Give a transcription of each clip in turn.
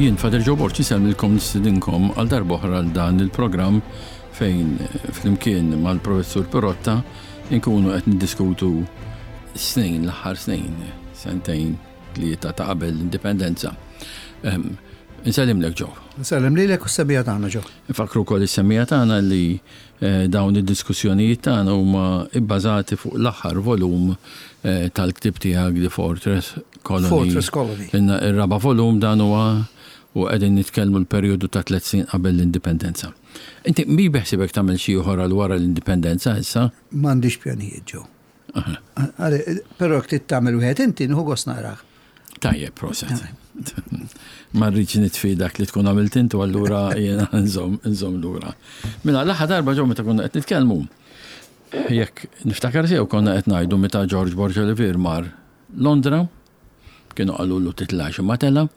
Jien Father Joe Borg insellmilkom nistedinkom għal darb'oħra għal dan il-programm fejn flimkien mal-Professur Pirotta nkunu qed niddiskutu snin, l-aħħar snin, sentejn, tlieta ta' qabel l-indipendenza. Ehm, Insellimlek Joe. Nsellem lilek u s-semija tagħna Joe. Nfakru wkoll is-semija tagħna li eh, dawn id-diskussjonijiet tagħna huma bbażati fuq l-aħħar volum eh, tal-ktieb tiegħek The Fortress Colony. Fortress Colony. Ir-raba' volum dan huwa u qegħdin nitkellmu l-perjodu ta' tliet snin qabel l-indipendenza. Inti mi beħsibek tagħmel xi ieħor għal wara l-indipendenza issa? M'għandix pjanijiet Joe. Però jekk trid tagħmel wieħed inti nieħu gost naqrah. Tajjeb, proset. Ma rridx nitfi dak li tkun għamilt intu allura jiena nżomm lura. Mela l-aħħar darba ġew meta konna qed nitkellmu. Jekk niftakar sew konna qed ngħidu meta George Borg Olivier mar Londra, kienu qalulu titlax imma tela',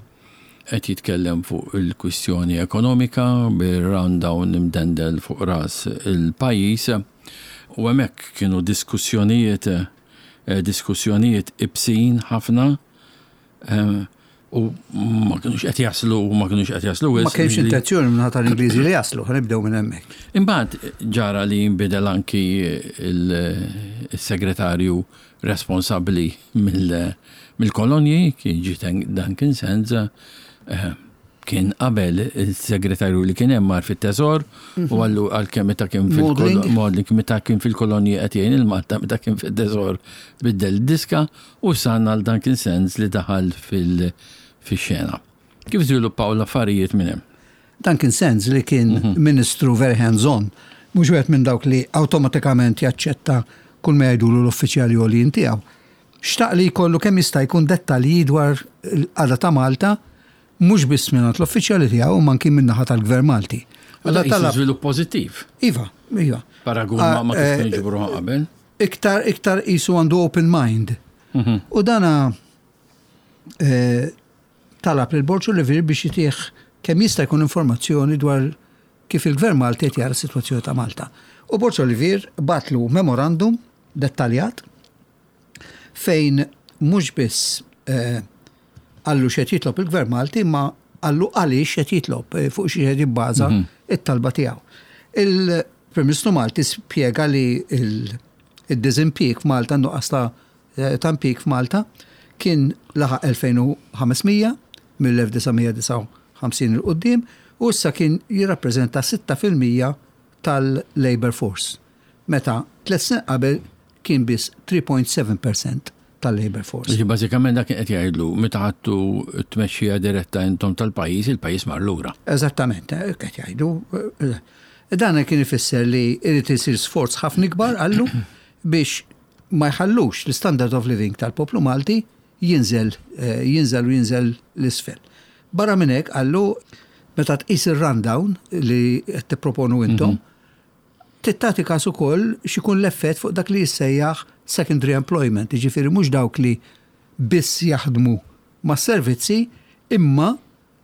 qed jitkellem fuq il-kwistjoni ekonomika bir-rundown imdendel fuq ras il-pajjiż u hemmhekk kienu diskussjonijiet diskussjonijiet ibsin ħafna u ma kinux qed jaslu u ma kinux qed jaslu Ma kienx intenzjoni minn tal-Ingliżi li jaslu, ħanibdew minn hemmhekk. Imbagħad ġara li jinbidel anki il-segretarju responsabbli mill-kolonji, kien ġie Duncan Sands, eh, kien qabel il-segretarju li kien hemm mar fit-teżor u mhm. għallu għalkemm meta kien fil-Modling meta kien fil-kolonji qed jgħin il-Malta meta kien fit-teżor biddel diska u sanna għal Duncan Sands li daħal fil-xena. Kif żviluppaw l-affarijiet minn hemm? Duncan Sands li kien mhm. ministru very hands-on, mhux wieħed minn dawk li awtomatikament jaċċetta kull ma jgħidulu l-uffiċjali għoljin tiegħu. Xtaq li jkollu kemm jista' jkun dettalji dwar l-qagħda ta' Malta mhux biss mingħand l-uffiċjali tiegħu imma anki min-naħa tal-Gvern Malti. Allura talab żvilupp pożittiv. Iva, iva. Paragun ma ma kif eh, kienu ġibruha qabel. Iktar iktar qisu għandu open mind. Mhm. U dana eh, talab lil Borg Olivier biex jitih kemm jista' jkun informazzjoni dwar kif il-Gvern Malti qed jara s-sitwazzjoni ta' Malta. U Borg Olivier bagħatlu memorandum dettaljat fejn mhux biss eh, qallu x'qed jitlob il-Gvern Malti imma qallu għaliex qed jitlob eh, fuq xi qed jibbaża mhm. it-talba tiegħu. Il-Prim Ministru Malti spjega li il-diżimpjieg f'Malta nuqqas ta' eh, ta' impjieg f'Malta kien laħaq 2500 mill-1959 il quddiem u issa kien jirrappreżenta 6% tal-labour force, meta tliet snin qabel kien biss 3.7 percent tal-labour force. Jiġifieri bażikament dak kien qed jgħidlu meta ħadtu t-tmexxija diretta intom tal-pajjiż, il-pajjiż mar lura. Eżattament, hekk qed jgħidu. Dan kien ifisser li jrid isir sforz ħafna ikbar qallu biex ma jħallux l-standard of living tal-poplu Malti jinżel, jinżel u jinżel 'l isfel. Barra minn hekk, qallu, meta tqis ir-rundown li qed tipproponu intom, trid tagħti każ ukoll x'ikun l-effett fuq dak li jissejjaħ secondary employment, jiġifieri mhux dawk li biss jaħdmu mas-servizzi imma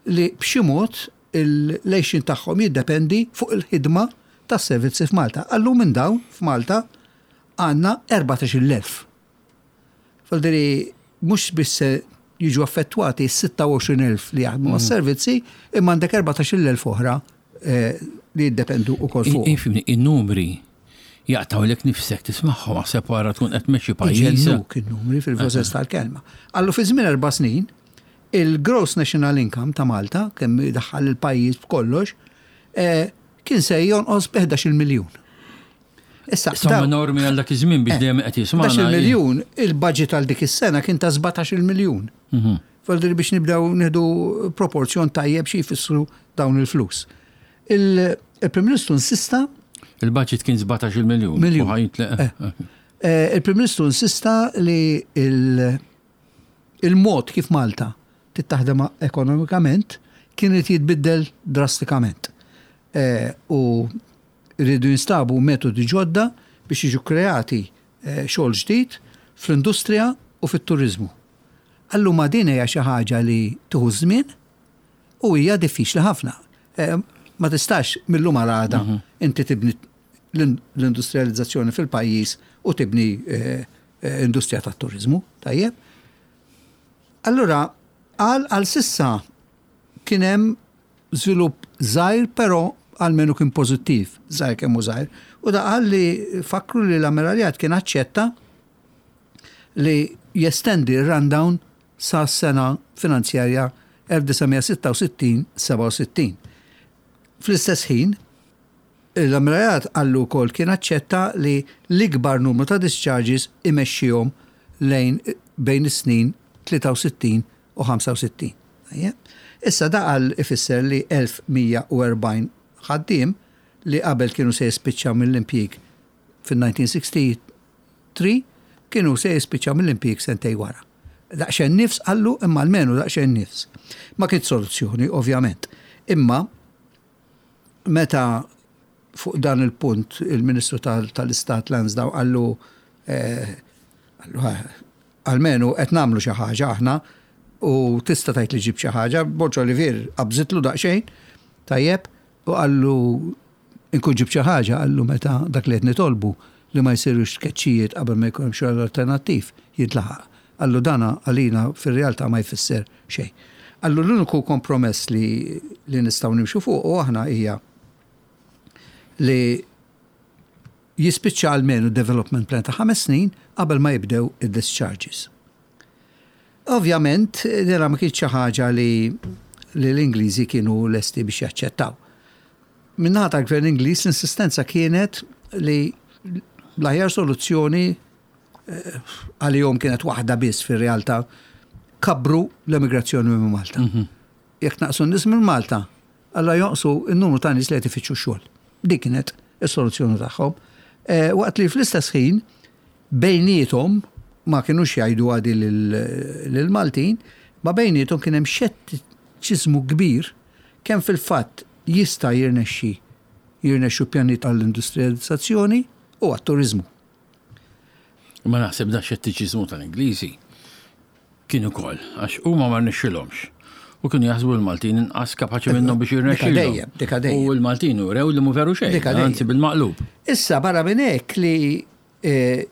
li b'xi mod l-għixien tagħhom jiddependi fuq il-ħidma tas-servizzi f'Malta. Qallu minn dawn f'Malta għandna 14,000. Vuol mhux biss se jiġu affettwati s-26,000 li jaħdmu mas-servizzi, imma għandek 14,000 oħra eh, li jiddependu ukoll fuq. Ifimni, in-numri jaqtawlek nifsek tismagħhom aħseb wara tkun qed tmexxi pajjiż. Iġennuk in-numri fil-vosens tal-kelma. Allu fi żmien erba' snin, il-gross national income ta' Malta, kemm daħħal il-pajjiż b'kollox, eh, kien se jonqos b' 11 miljun. Issa, Somma enormi għal dak iż-żmien biex eh, dejjem qed jisma' 11 miljun, il-budget għal dik is-sena kien ta' 17 miljun. Mhm. Faldri biex nibdew nieħdu proporzjon tajjeb xi jfissru dawn il-flus. Il-Prim Ministru insista Il-budget kien 17 miljun. Miljun. Eh. Eh, il-Prim Ministru insista li il-mod kif Malta tittaħdem ekonomikament kien irid jitbiddel drastikament. U Iridu jinstabu metodi ġodda biex jiġu kkreati xogħol ġdid fl-industrija u fit-turiżmu. Alluma din hija xi ħaġa li tieħu ż-żmien u hija diffiċli ħafna. Ma tistax mil-lum għal għada inti tibni l-industrijalizzazzjoni fil-pajjiż u tibni industrija tat-turiżmu, tajjeb? Allura qal għal s'issa. kien hemm żvilupp żgħir però almenu kien pożittiv, żgħir kemm hu żgħir. U da qal li fakru li l-Ammiraljat kien aċċetta li jestendi r-rundown sa sena finanzjarja 1966-67. Fl-istess ħin, l-Ammiraljat qallu wkoll kien aċċetta li l-ikbar numru ta' discharges imexxihom lejn bejn is-snin 63 u 65. Issa da qal ifisser li 1140 ħaddiem li qabel kienu se jispiċċaw mill-impjieg fin-1963 kienu se jispiċċaw mill-impjieg sentejn wara. Daqsxejn nifs qallu imma almenu daqsxejn nifs. Ma kienx soluzzjoni, ovvjament. Imma meta fuq dan il-punt il-Ministru tal-Istat Lansdowne qallu eh, Almenu qed nagħmlu xi ħaġa aħna u tista' tgħid li ġibt xi ħaġa. Borg Olivier qabżitlu daqsxejn, tajjeb, u qallu inkun ġibt xi ħaġa, qallu meta dak li qed nitolbu li ma jsirux tkeċċijiet qabel ma jkun hemm xogħol alternattiv jintlaħaq. Qallu dana għalina fir-realtà ma jfisser xejn. Qallu l-uniku kompromess li li nistgħu nimxu fuqu aħna hija li jispiċċa almenu development plan ta' 5 snin qabel ma jibdew id-discharges. Ovvjament, dela ma kienx xi ħaġa li li l-Ingliżi kienu lesti biex jaċċettaw. Min-naħa tal-Gvern Ingliż l-insistenza kienet li l-aħjar soluzzjoni eh, għalihom kienet waħda biss fir-realtà kabbru l-emigrazzjoni minn Malta. Mhm. Jekk naqsu n-nies minn Malta, Allura jonqsu n-numru ta' nies li qed ifittxu x-xogħol. Dik kienet is-soluzzjoni tagħhom. Eh, waqt li fl-istess ħin bejniethom ma kinux jgħidu għadi lill-Maltin, ma bejniethom kien hemm xettiċiżmu kbir kemm fil-fatt jista' jirnexxi jirnexxu pjanijiet għall-industrijalizzazzjoni u għat-turiżmu. Ma naħseb da xettiċiżmu tal-Ingliżi kien ukoll għax huma ma rnexxilhomx. U kienu jaħsbu l-Maltin inqas kapaċi minnhom biex jirnexxilhom. Dejjem, dika dejjem. U l-Maltin urew li mhu veru xejn, anzi bil-maqlub. Issa barra minn hekk li eh,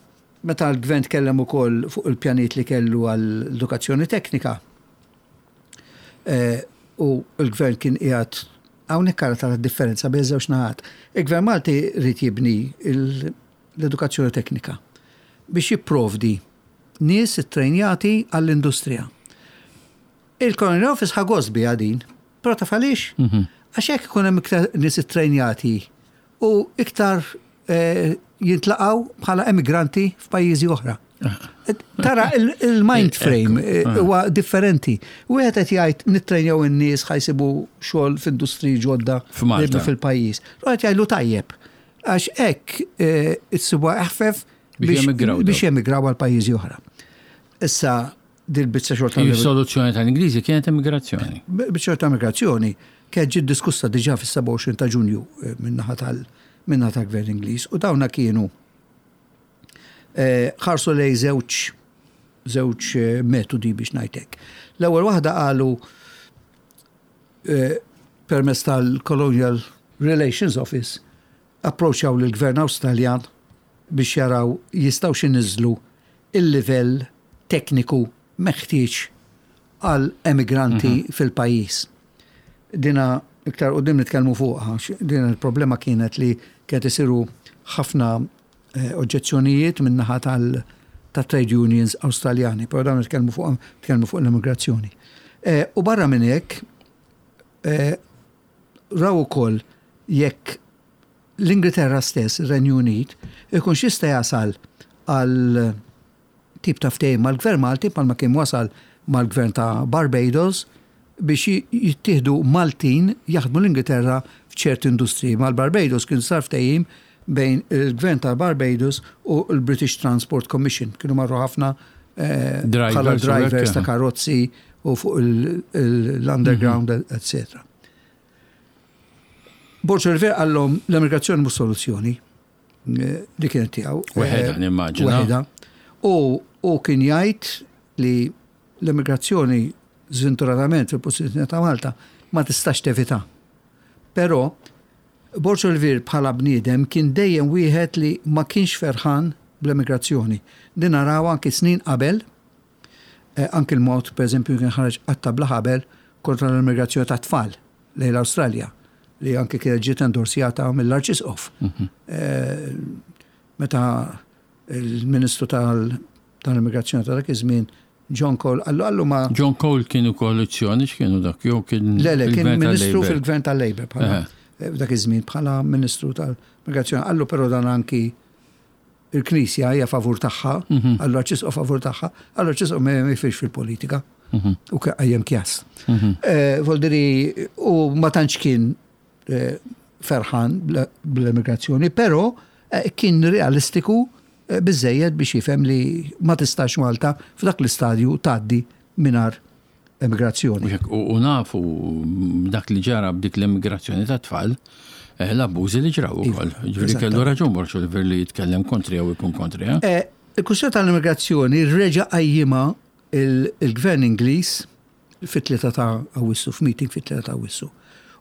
meta l-gvern tkellem ukoll fuq il-pjanijiet li kellu għall-edukazzjoni teknika, eh, u l-gvern kien qiegħed hawnhekk ara tara differenza bejn żewġ naħat. Il-gvern Malti rrid jibni l-edukazzjoni teknika biex jipprovdi nies ittrejnjati għall-industrija. Il-Colonial Office ħa gost biha din, però taf għaliex? Mhm. Għax hekk ikun hemm iktar nies ittrejnjati u iktar eh, jintlaqgħu bħala emigranti f'pajjiżi oħra. Tara il-mind frame eh, ah. huwa differenti. Wieħed qed jgħid nittrejnjaw in-nies ħajsibu xogħol f'industriji ġodda fil-pajjiż. Qed jgħidlu tajjeb. Għax hekk eh, issibuha eħfef biex jemigraw għal pajjiżi oħra. Issa dil-biċċa xogħol tal Is-soluzzjoni tal-Ingliżi kienet immigrazzjoni. Biċċa ta' immigrazzjoni kienet ġiet diskussa diġà fis-27 ta' Ġunju eh, min-naħa tal min-naħa tal-Gvern Ingliż u dawna kienu eh, ħarsu lej żewġ żewġ eh, metodi biex ngħidlek. L-ewwel waħda qalu permezz tal-Colonial Relations Office approċċjaw lill-Gvern Awstraljan biex jaraw jistgħux iniżżlu l-livell tekniku meħtieġ għal emigranti mhm. fil-pajjiż. Dina iktar qudiem nitkellmu fuqha, din il-problema kienet li kienet isiru ħafna eh, oġġezzjonijiet min-naħa tal- ta' trade unions Awstraljani, però dawn nitkellmu fuq nitkellmu fuq l-immigrazzjoni. Eh, u barra minn hekk eh, raw ukoll jekk l-Ingilterra stess, ir-Renju Unit, ikunx jista' jasal għal tip ta' ftehim mal-Gvern Malti bħalma kien wasal mal-Gvern ta' Barbados biex jittieħdu Maltin jaħdmu l-Ingilterra f'ċerti industriji. Mal-Barbados kien sar ftehim bejn il-Gvern ta' Barbados u l-British Transport Commission. Kienu marru ħafna eh, bħala drivers ta' karozzi u fuq l-underground, mhm. etc. Borg Olivier qallhom l-emigrazzjoni mhux soluzzjoni. Eh, li kienet tiegħu. Weħeda eh, nimmaġina. Weħeda. U u kien jgħid li l-emigrazzjoni żventuratament fil-pożizzjoni ta' Malta ma tistax tevita. Però Borg Olivier bħala bniedem kien dejjem wieħed li ma kienx ferħan bl-emigrazzjoni. Din naraw anki snin qabel Eh, anki l-mod, per eżempju, kien ħareġ qatta bla ħabel kontra l-immigrazzjoni ta' tfal lejn l-Awstralja li anke kienet ġiet endorsjata mill-Arċisqof. Eh, meta il-Ministru tal-Immigrazzjoni ta' dak iż-żmien John Cole qallu qallu ma John Cole kienu koalizzjoni x'kienu dak jew kien Le le kien ministru fil-gvern tal-Labour bħala eh, f'dak iż-żmien bħala ministru tal-Migrazzjoni. Qallu però dan anki il-Knisja hija favur tagħha, mhm. qallu arċisqof favur tagħha, qallu arċisqof ma jfirx fil-politika. Mhm. U qajjem kjas. Mhm. Eh, Voldiri u ma tantx kien eh, ferħan bl-immigrazzjoni, però kien realistiku biżżejjed biex jifhem li ma tistax Malta f'dak l-istadju tgħaddi mingħajr emigrazzjoni. U nafu dak li ġara b'dik l-emigrazzjoni ta' tfal, eh, l-abbużi li ġraw iva, ukoll. Ġifieri kellu raġun Borg Oliver li jitkellem kontri jew ikun kontri. Eh? Eh, il-kwistjoni tal-immigrazzjoni reġa' qajjimha il-gvern Ingliż fit-3 ta' Awwissu, f'meeting fit-3 ta' Awwissu.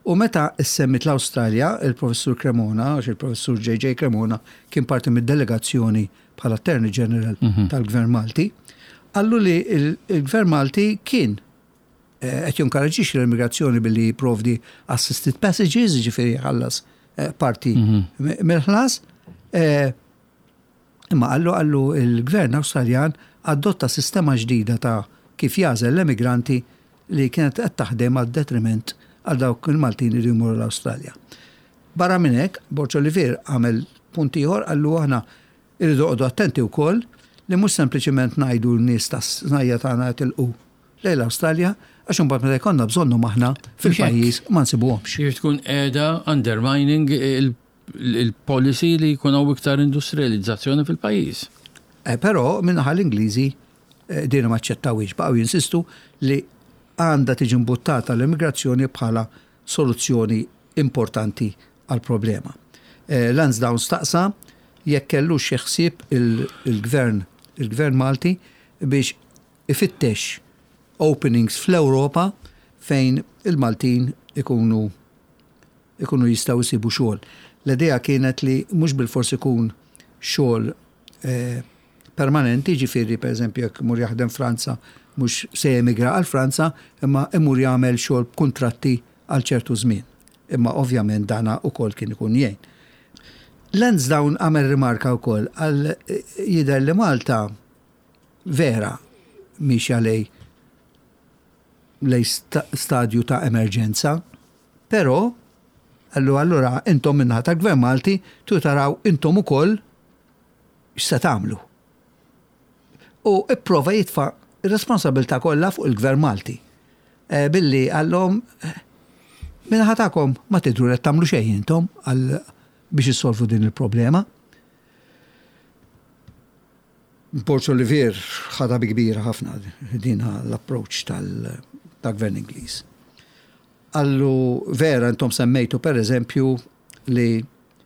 U meta issemmit l-Awstralja, il-Professur Cremona, għax il-Professur JJ Cremona kien parti mid-delegazzjoni bħala Attorney General mhm. tal-Gvern Malti, qallu li il-Gvern Malti kien eh, qed jinkoraġġixxi l-immigrazzjoni billi jipprovdi assisted passages, jiġifieri jħallas eh, parti mhm. mill-ħlas. Eh, Imma qallu qallu l-Gvern Awstraljan adotta sistema ġdida ta' kif jagħżel l-emigranti li kienet qed taħdem għad-detriment għal dawk il-Maltin li jridu jmorru l-Awstralja. Barra minn hekk, Borg Olivier għamel punt ieħor qallu aħna rridu noqogħdu attenti wkoll li mhux sempliċiment ngħidu n-nies tas-snajja tagħna jitilqu lejn l-Awstralja għax imbagħad meta jkollna bżonnhom aħna fil-pajjiż ma nsibuhomx. Jiġifieri tkun qiegħda undermining il-policy li jkun hawn iktar industrializzazzjoni fil-pajjiż. Eh, però minnaħa l-Ingliżi eh, din ma ċċettawhiex, baqgħu jinsistu li għandha tiġi mbuttata l-immigrazzjoni bħala soluzzjoni importanti għal-problema. Eh, Lansdowne staqsa jekk kellux xi ħsieb il-gvern il-gvern Malti biex ifittex openings fl-Ewropa fejn il-Maltin ikunu ikunu jistgħu jsibu xogħol. L-idea kienet li mhux bilfors ikun xogħol eh, permanenti, ġifieri pereżempju jekk imur jaħdem Franza mhux se jemigra għal Franza, imma imur jagħmel xogħol b'kuntratti għal ċertu żmien. Imma ovvjament dana ukoll kien ikun jgħin. Lansdowne għamel rimarka wkoll għal eh, jidher li Malta vera mixja lej lej stadju ta' emerġenza Però, qallu allura intom min-naħa tal-Gvern Malti tridu taraw intom ukoll x'se tagħmlu. U ipprova jitfa' r-responsabilità kollha fuq il-Gvern Malti. Eh, billi qallhom min-naħa tagħkom ma tidhru li qed tagħmlu xejn intom għal biex issolvu din il-problema. Borg Olivier ħadha bi kbira ħafna din l-approach tal-Gvern Ingliż. Qallu, Vera intom semmejtu per eżempju li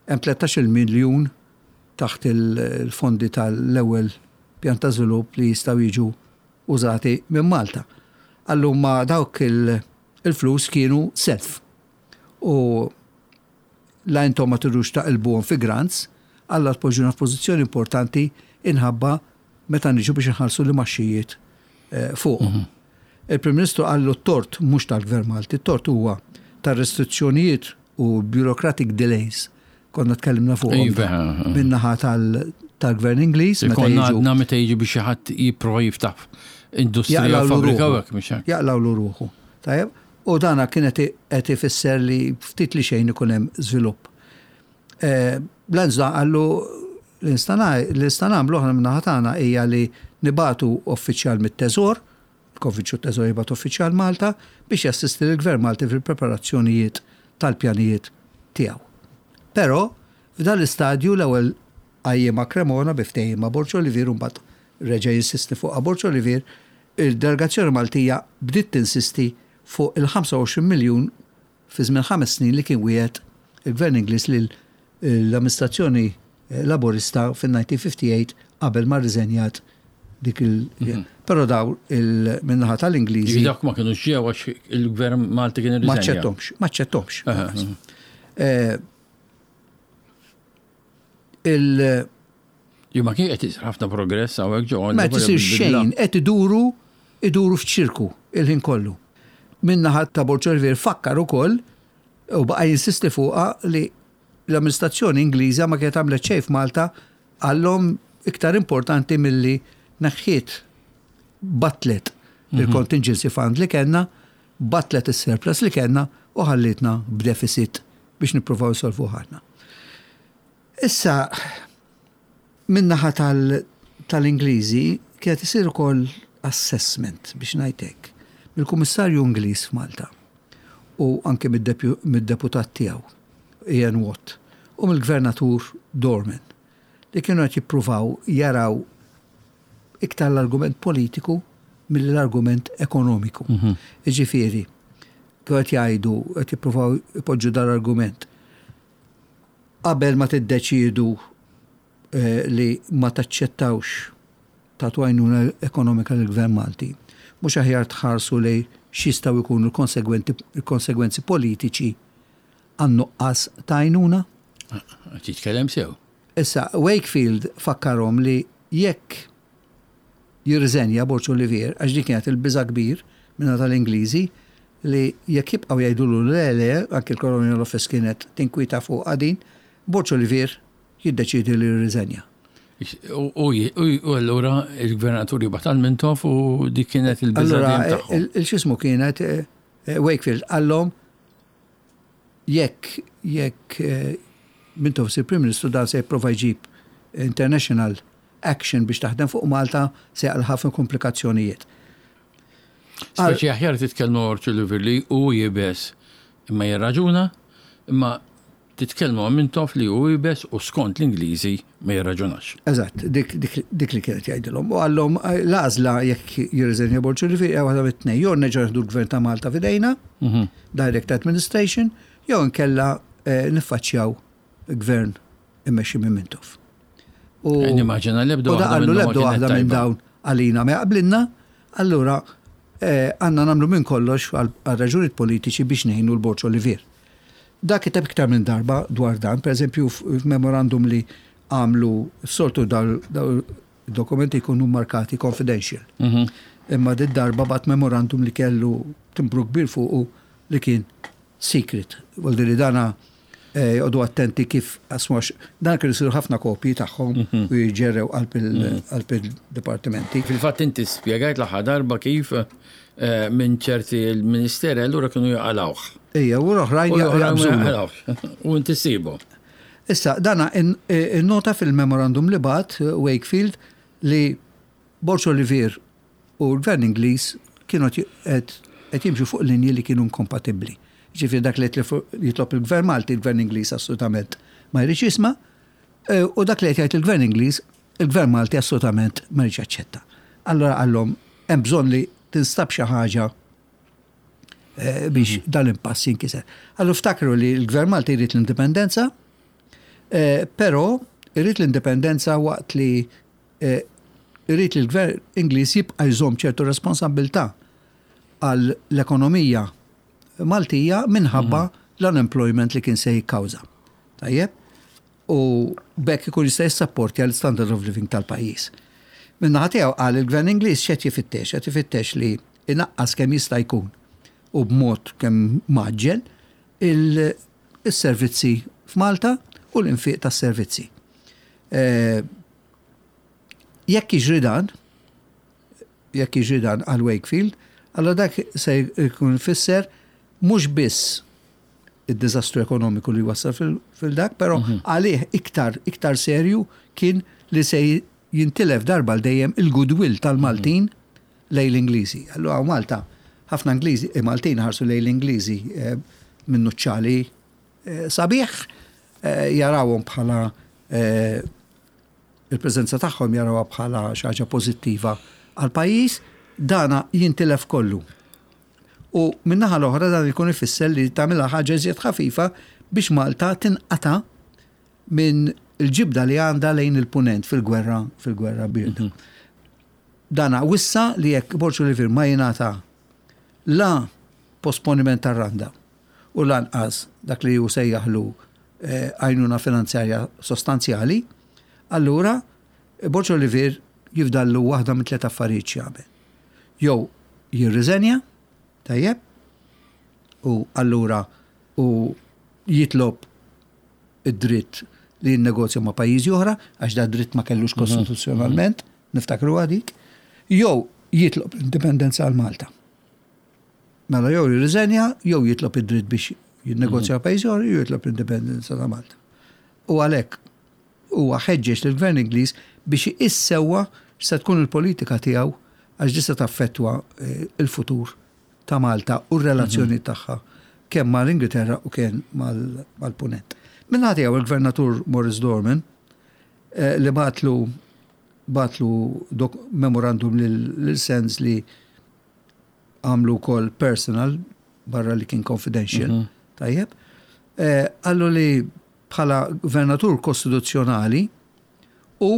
hemm 13-il miljun taħt il-fondi tal-ewwel pjan ta' żvilupp li jistgħu jiġu użati minn Malta. Qallu ma dawk il-flus kienu self. U la intom ma tridux taqilbuhom fi grants, alla tpoġġuna f'pożizzjoni importanti inħabba meta niġu biex inħallsu l-imgħaxxijiet fuqhom. Il-Prim Ministru qallu t-tort mhux tal-Gvern Malti, t-tort huwa tar-restrizzjonijiet u bureaucratic delays konna tkellimna fuqhom iva. min-naħa tal-Gvern Ingliż. Konna għadna meta jiġi biex xi ħadd jipprova jiftaħ industrija fabbrika u hekk mhux hekk. Jaqlawlu ruħu. Tajjeb, u dana kienet qed ifisser li ftit li xejn ikun hemm żvilupp. Eh, Lanza qallu li nista' nagħmlu aħna min-naħa tagħna hija li nibagħtu uffiċjal mit-Teżor, il-Konfiċju Teżor jibgħat uffiċjal Malta biex jassisti lill-Gvern Malti fil-preparazzjonijiet tal-pjanijiet tiegħu. Però f'dan l-istadju l-ewwel qajjimha Cremona bi ftehim ma' Borg Olivier u mbagħad reġa' jinsisti fuqha Borg Olivier, il-delegazzjoni Maltija bdiet tinsisti fuq il-25 miljun fi żmien ħames snin li kien wiegħed il-Gvern Ingliż lil l-amministrazzjoni Laburista fin-1958 qabel ma rriżenjat dik il- mhm. Però daw il-minnaħa tal-Ingliżi. Dak ma kienu ġew għax il-gvern Malti kien irriżenja. Ma ċċettomx, ma ċċettomx. Eh, il- Ju ma kien qed isir ħafna progress hawnhekk ġo. Ma qed isir xejn, qed iduru iduru f'ċirku il-ħin kollu. Min-naħa ta' Borg Olivier fakkar ukoll u baqa' jinsisti fuqha li l-amministrazzjoni Ingliża ma kienet għamlet xejn f'Malta għallhom iktar importanti milli neħħiet battlet il-contingency fund li kellna, battlet is-surplus li kellna u ħallietna b'deficit biex nippruvaw insolvuh aħna. Issa, min-naħa tal-Ingliżi kienet isir ukoll assessment biex ngħid hekk mill-Kummissarju Ingliż f'Malta u anke mid-deputat tiegħu Ian Watt u mill-Gvernatur Dorman li kienu qed jippruvaw jaraw iktar l-argument politiku milli l-argument ekonomiku. Jiġifieri, kienu qed jgħidu, qed jippruvaw ipoġġu dal-argument. Qabel ma tiddeċiedu li ma taċċettawx tagħtu għajnuna ekonomika lill-Gvern Malti, mhux aħjar tħarsu lejn x'jistgħu jkunu l-konsegwenzi politiċi għan-nuqqas ta' għajnuna? Qed jitkellem sew. Issa, Wakefield fakkarhom li jekk jirriżenja Borg Olivier, għax din kienet il-biża' kbir min-naħa tal-Ingliżi, li jekk jibqgħu jgħidulu le le, anki l-Colonial Office kienet tinkwieta fuqha din, Borg Olivier jiddeċiedi li jirriżenja. U allura il-gvernatur jibgħat għal Mintoff u dik kienet il-biża' dejjem tagħhom. Allura il-x'ismu kienet Wakefield qallhom jekk jekk Mintoff isir Prim Ministru dan se jipprova jġib international action biex taħdem fuq Malta se jaqla' ħafna komplikazzjonijiet. Speċi aħjar titkellmu Orċu Liver li hu iebes imma jirraġuna, imma titkellmu ma' Mintoff li hu iebes u skont l-Ingliżi ma jirraġunax. Eżatt, dik, dik, dik li kienet jgħidilhom. U qallhom l-għażla jekk jirriżenja Borg Olivier hija waħda mit-tnejn, jew nerġgħu nieħdu l-Gvern ta' Malta f'idejna, direct administration, jew inkella niffaċċjaw gvern immexxi minn Mintoff. U eh, nimmaġina l-ebda waħda qallu l-ebda waħda minn dawn għalina ma jaqblilna, allura eh, għandna nagħmlu minn kollox għal raġunijiet politiċi biex ngħinu l-Borġ Olivier. Dak kiteb iktar minn darba dwar dan, per eżempju f'memorandum li għamlu soltu dokumenti jkunu markati confidential. Imma dit darba bat memorandum li kellu timbru kbir fuqu li kien secret. Vuol li dana eh, joqogħdu attenti kif għax dan kienu jsiru ħafna kopji tagħhom mhm. u jiġġerrew qalb mhm. il-dipartimenti. Fil-fatt inti spjegajt l-aħħar darba kif eh, minn ċerti l-ministeri allura kienu jaqalawh. Ejja, u l-oħrajn jaqalawh. U inti sibu. Issa, dana innota fil-memorandum li bat eh, Wakefield li Borg Olivier u l-Gvern Ingliż kienu qed jimxu fuq linji li kienu inkompatibbli. Jiġifieri dak li qed jitlob il-Gvern Malti, il-Gvern Ingliż assolutament ma jridx jisma', eh, u dak li qed jgħid il-Gvern Ingliż, il-Gvern Malti assolutament ma jridx jaċċetta. Allura qallhom hemm bżonn li tinstab xi ħaġa eh, biex mhm. dan l-impass jinkiser. Allura ftakru li l-Gvern Malti jrid l-indipendenza, eh, però jrid l-indipendenza waqt li Irid li l-Gvern Ingliż jibqa' jżomm ċertu responsabbiltà għall-ekonomija Maltija minħabba mhm. l-unemployment li kien se jikkawża. Tajjeb? U b'hekk ikun jista' jissapportja l-standard of living tal-pajjiż. Min-naħa tiegħu qal il-Gvern Ingliż x'qed jifittex, qed ifittex li inaqqas kemm jista' jkun u b'mod kemm maġġel il-servizzi f'Malta u l-infiq tas-servizzi. Eh, jekk jiġri dan, jekk jiġri dan għal Wakefield, allora dak se jkun ifisser mhux biss id-diżastru ekonomiku li wassal fil-dak, però mhm. għalih iktar iktar serju kien li se jintilef darba l dejjem il-goodwill tal-Maltin mhm. lejn l-Ingliżi. Allura Malta, ħafna Ingliżi, eh, Maltin ħarsu lejn l-Ingliżi eh, minn nuċċali sabiħ, jarawhom bħala il-preżenza tagħhom jarawha bħala xi ħaġa pożittiva għall-pajjiż, dana jintilef kollu. U min-naħa l-oħra dan ikun ifisser li tagħmilha ħaġa iżjed ħafifa biex Malta tinqata' minn il-ġibda li għandha lejn il-punent fil-gwerra fil-gwerra bierda. Mhm. Dana wissa li jekk Borġ Olivier ma jingħata la posponiment tar-randa u lanqas dak li hu sejjaħlu għajnuna finanzjarja sostanzjali, allura Borg Olivier jifdallu waħda minn tliet affarijiet x'jagħmel. Jew jirriżenja, tajjeb, U allura u jitlob id-dritt li jinnegozja ma' pajjiżi oħra, għax da dritt ma kellux kostituzzjonalment, niftakru dik, jew jitlob l-indipendenza għal Malta. Mela jew jirriżenja, jew jitlob id-dritt biex jinnegozja ma' pajjiżi oħra, jew jitlob l-indipendenza ta' Malta. U għalhekk huwa ħeġġeġ lill-Gvern Ingliż biex iqis sewwa x'se tkun il-politika tiegħu għax din se taffettwa l-futur ta' Malta u r-relazzjoni tagħha kemm mal-Ingilterra u kemm mal-Punent. Min-naħa tiegħu il-Gvernatur Maurice Dorman li bagħatlu bagħatlu memorandum lil Sands li għamlu wkoll personal barra li kien confidential, tajjeb, qallu li bħala gvernatur kostituzzjonali u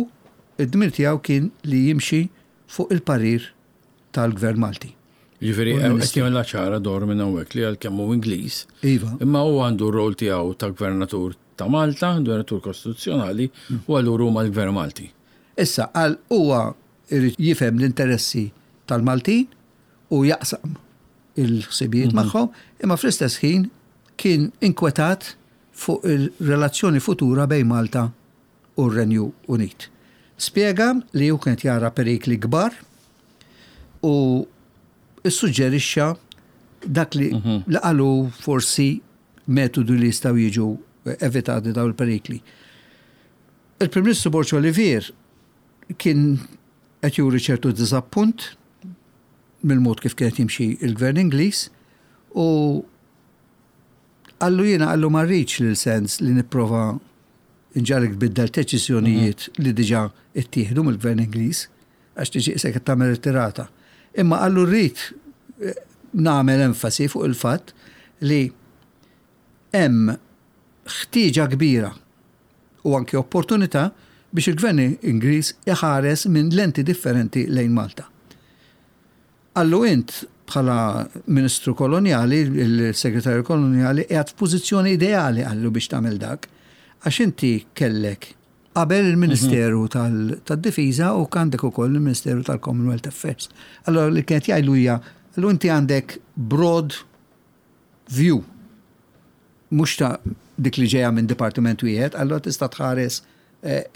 d-dmir tiegħu kien li jimxi fuq il-parir tal-Gvern Malti. Jiġifieri qed jagħmilha ċara Dorman hawnhekk li għalkemm hu Ingliż, iva. imma hu għandu r-rol tiegħu ta' gvernatur ta' Malta, gvernatur kostituzzjonali, u allura hu mal-Gvern Malti. Issa, għal huwa jrid jifhem l-interessi tal-Maltin u jaqsam il-ħsibijiet magħhom, imma fl-istess ħin kien inkwetat fuq il-relazzjoni futura bejn Malta u r-Renju Unit. Spjega li hu kien qed jara perikli kbar u ssuġġerixxa dak li li qalu forsi metodu li jistgħu jiġu evitati dawn il-perikli. Il-Prim Ministru Borg Olivier kien qed juri ċertu diżappunt mill-mod kif kien qed jimxi l-Gvern Ingliż u qallu jiena qallu ma rridx lil sens li nipprova nġagħlek tbiddel deċiżjonijiet li diġà ttieħdu mill-Gvern Ingliż għax tiġi qisek qed tagħmel irtirata. Imma qallu rrid nagħmel enfasi fuq il-fatt li hemm ħtieġa kbira u anki opportunità biex il-Gvern Ingliż iħares minn lenti differenti lejn Malta. Qallu int bħala Ministru Kolonjali, il-Segretarju Kolonjali qiegħed f'pożizzjoni ideali qallu biex tagħmel dak għax inti kellek qabel il-Ministeru tad-Difiża u għandek ukoll il-Ministeru tal-Commonwealth Affairs. Allora li kienet jgħidlu hija qallu inti għandek broad view mhux ta' dik li ġejja minn dipartiment wieħed, allura tista' tħares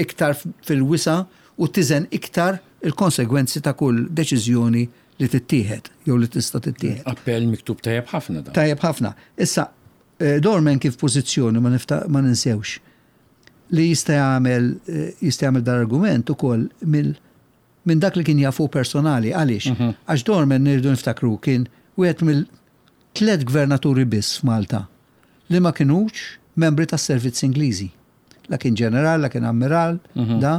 iktar fil-wisa' u tiżen iktar il-konsegwenzi ta' kull deċiżjoni li tittieħed jew li tista' tittieħed. Appell miktub tajjeb ħafna dan. Tajjeb ħafna. Issa, Dorman kien f'pożizzjoni ma ma ninsewx li jista' jagħmel jista' jagħmel dal-argument ukoll mill minn dak li kien jaf hu personali. Għaliex? Għax Dorman irridu niftakru kien wieħed mill tlett gvernaturi biss f'Malta li ma kinux membri tas-servizz Ingliżi. La kien ġeneral, la kien ammiral, da.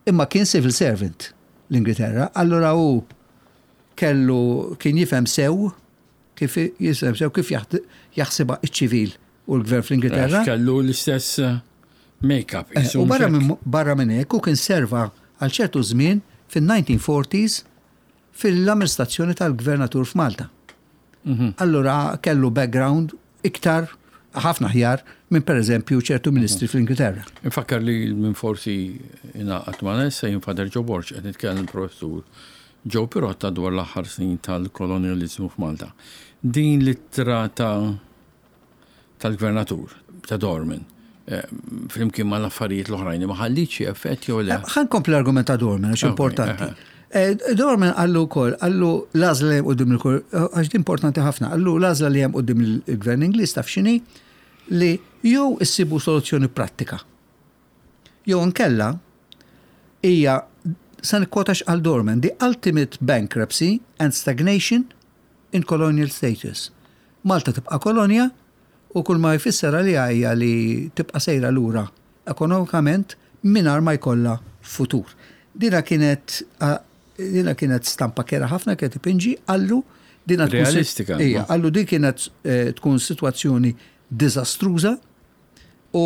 Imma kien civil servant l-Ingilterra, allura hu kellu kien jifhem sew kif jifhem sew kif jaħsibha ċ-ċivil u l-gvern fl-Ingilterra. Kellu l-istess make-up. U barra minn hekk hu kien serva għal ċertu żmien fin-1940s fil-amministrazzjoni tal-gvernatur f'Malta. Allura kellu background iktar ħafna aħjar minn pereżempju ċertu ministri fl-Ingilterra. Infakkar li minn forsi ingħaqad magħna issa jien Father Joe Borg qed nitkellem professur Joe Pirotta dwar l-aħħar snin tal-kolonjaliżmu f'Malta. Din l-ittra ta' tal-gvernatur ta' Dorman flimkien mal-affarijiet l-oħrajn ma ħalliet xi effett jew le? Ħa nkompli l-argument ta' Dorman għax importanti. Dorman qallu wkoll, qallu l-għażla li hemm quddiem il għax din importanti ħafna, qallu l-għażla li hemm quddiem il-gvern Ingliż taf x'inhi li jew issibu soluzzjoni prattika. Jew inkella hija se nikkwota x'qal Dorman, the ultimate bankruptcy and stagnation in colonial status. Malta tibqa' kolonja u kull ma jfisser għaliha hija li tibqa' sejra lura ekonomikament mingħajr ma jkollha futur. Dina kienet dina kienet stampa kerha ħafna kienet ipinġi qallu dina tkun Realistika. Ija, qallu din kienet tkun sitwazzjoni diżastruża u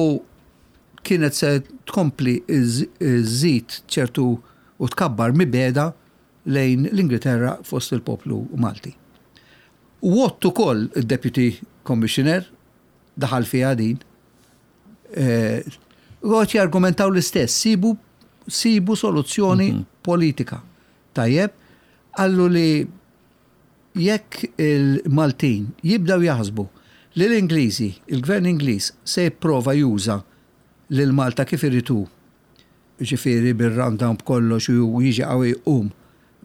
kienet se tkompli żżid ċertu u tkabbar mibegħda lejn l-Ingilterra fost il-poplu Malti. Watt ukoll id-Deputy Commissioner daħal fiha din. U qed jargumentaw l-istess, sibu sibu soluzzjoni politika. Tajjeb, qallu li jekk il-Maltin jibdew jaħsbu li l-Ingliżi, il-Gvern Ingliż se jipprova juża lil Malta kif irid hu, jiġifieri bir-rundown b'kollox u jiġi qawwi jqum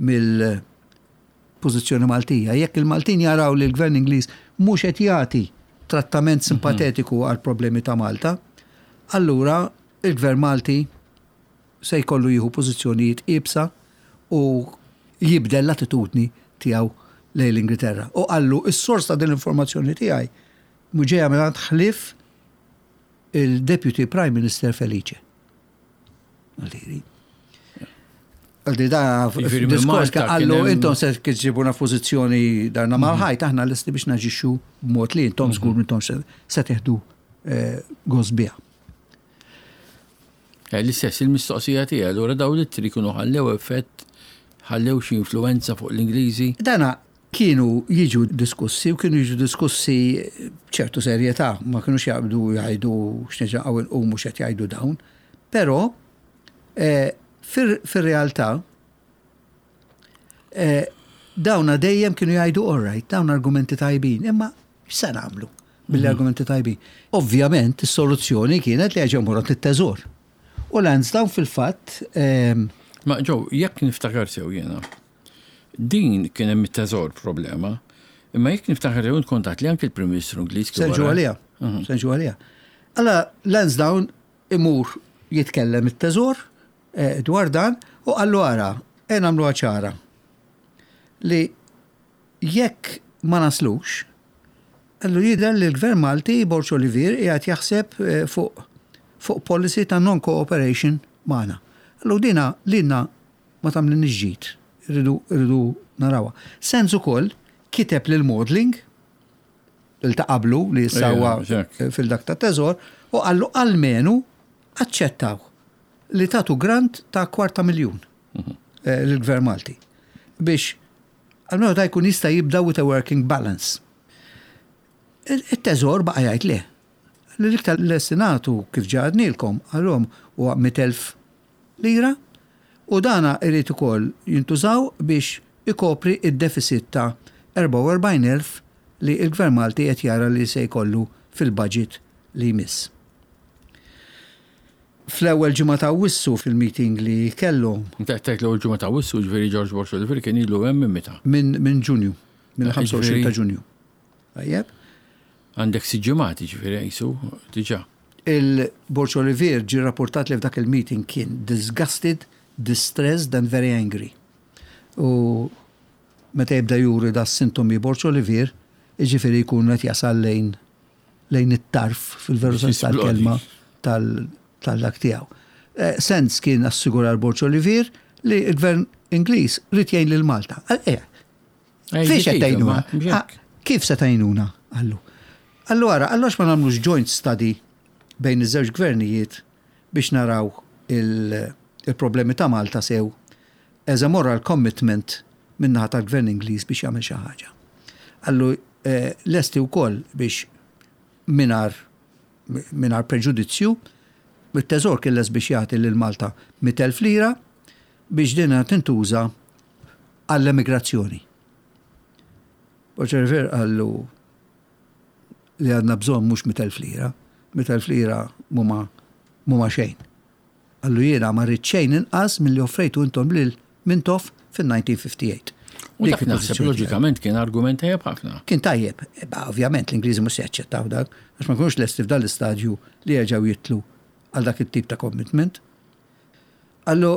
mill-pożizzjoni Maltija, jekk il-Maltin jaraw li l-Gvern Ingliż mhux qed jagħti trattament simpatetiku għall-problemi ta' Malta, allura il-Gvern Malti se jkollu jieħu pożizzjonijiet iebsa u jibdel l-attitudni tiegħu lejn l-Ingilterra. U qallu s-sors ta' din l-informazzjoni tiegħi mhu ġejja mingħand ħlief il-Deputy Prime Minister Felice. Għaldiri. Għaldi da diskors qallu intom se tġibuna f'pożizzjoni darna mhm. mal-ħajt aħna lesti biex naġixxu b'mod li intom żgur mhm. intom se teħdu eh, gost biha. Eh, l-istess il-mistoqsija tiegħi, allura dawn l-ittri kienu ħallew effett, ħallew xi influwenza fuq l-Ingliżi? Dana kienu jiġu diskussi u kienu jiġu diskussi b'ċertu serjetà, ma kinux jaqbdu jgħidu x'neġaqgħu inqumu x'qed jgħidu dawn. Però eh, fir-realtà eh, dawna dejjem kienu jgħidu all right, dawn argumenti tajbin, imma x'se nagħmlu mill-argumenti tajbin? Ovvjament, is-soluzzjoni kienet li għaġew morot it-teżor. U Lansdowne fil-fatt. Ehm, Ma ġew, jekk niftakar sew jiena, din kien hemm it-teżor problema, imma jekk niftakar sew kontat li anke l-Prim Ministru Ingliż. Senġu għalija. Mhm. Senġu għalija. Alla Lansdowne imur jitkellem it-teżor eh, dwar dan u qallu ara, e nagħmluha ċara li jekk ma naslux, qallu jidher li l-Gvern Malti Borg Olivier qiegħed jaħseb eh, fuq fuq policy ta' non-cooperation magħna. Qallu dina lilna ma tagħmlilniex ġid, irridu irridu narawha. Sands ukoll kiteb lil Maudling il ta' qablu li issa huwa fil-dak ta' teżor u qallu almenu aċċettaw li tagħtu grant ta' kwarta miljun mhm. eh, lill-Gvern Malti biex almenu ta' jkun jista' jibda with a working balance. Il-teżor baqa' jgħid le. L-iktar l-estinatu kif ġadnilkom għalhom huwa 100,000 lira u dana irid ukoll jintużaw biex ikopri id-deficit ta' 44,000 li l-Gvern Malti qed jara li se jkollu fil-budget li jmiss. Fl-ewwel ġimgħa ta' Awwissu fil-meeting li kellhom. Inti qed tgħid l-ewwel ġimgħa ta' Awwissu, jiġifieri George Borg Olivier kien ilu hemm minn meta? Minn Ġunju, mill-25 ta' Ġunju. Tajjeb. Għandek sitt ġimgħat jiġifieri qisu diġà. Il-Borg Olivier ġie rrapportat li f'dak il-meeting kien disgusted, distressed and very angry. U meta jibda juri da sintomi Borg Olivier, jiġifieri jkun qed jasal lejn lejn it-tarf fil-veru sens tal-kelma tal-dak tiegħu. Eh, Sens kien assigura l-Borg Olivier li l-gvern Ingliż ried jgħin lil Malta. Eh, eh, fiex qed tgħinuna? Ah, kif se tgħinuna? Qallu. Qallu ara, qallu għax ma nagħmlux joint study bejn iż-żewġ gvernijiet biex naraw il-problemi ta' Malta sew as a moral commitment min-naħa tal-Gvern Ingliż biex jagħmel xi ħaġa. Qallu eh, lesti wkoll biex mingħajr mingħajr preġudizzju, it-Teżor kien lest biex jagħti lil Malta 100,000 lira biex dinha tintuża għall-emigrazzjoni. Borg Olivier qallu li għandna bżonn mhux 100,000 lira, 100,000 lira mhuma mhuma xejn. Qallu jiena ma rrid xejn inqas milli offrejtu intom lil Mintoff fin-1958. U dak naħseb loġikament kien argument tajjeb ħafna. Kien tajjeb, ovvjament l-Ingliżi mhux se jaċċettaw dak, għax ma kinux lesti f'dan l-istadju li jerġgħu jitlu għal dak it-tip ta' commitment. Qallu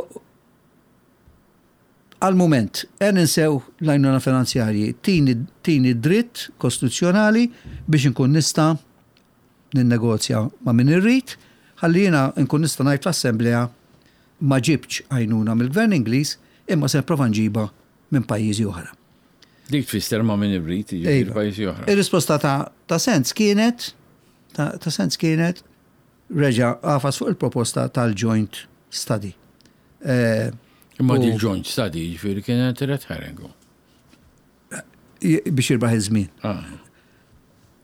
għal mument, e ninsew l-għajnuna finanzjarji, tini tini dritt kostituzzjonali biex inkun nista' ninnegozja ma' min irrid, ħalli jiena nkun nista' ngħid fl-Assemblea ma ġibtx għajnuna mill-Gvern Ingliż imma se nipprova nġibha minn pajjiżi oħra. Dik tfisser ma' min irrid, jiġifieri iva. pajjiżi oħra. Ir-risposta ta' ta' Sands kienet ta' ta' Sands kienet reġa' għafas fuq il-proposta tal-joint study. Eh, imma di joint study jiġifieri kienet red herring. Biex jirbaħ iż-żmien. Ah.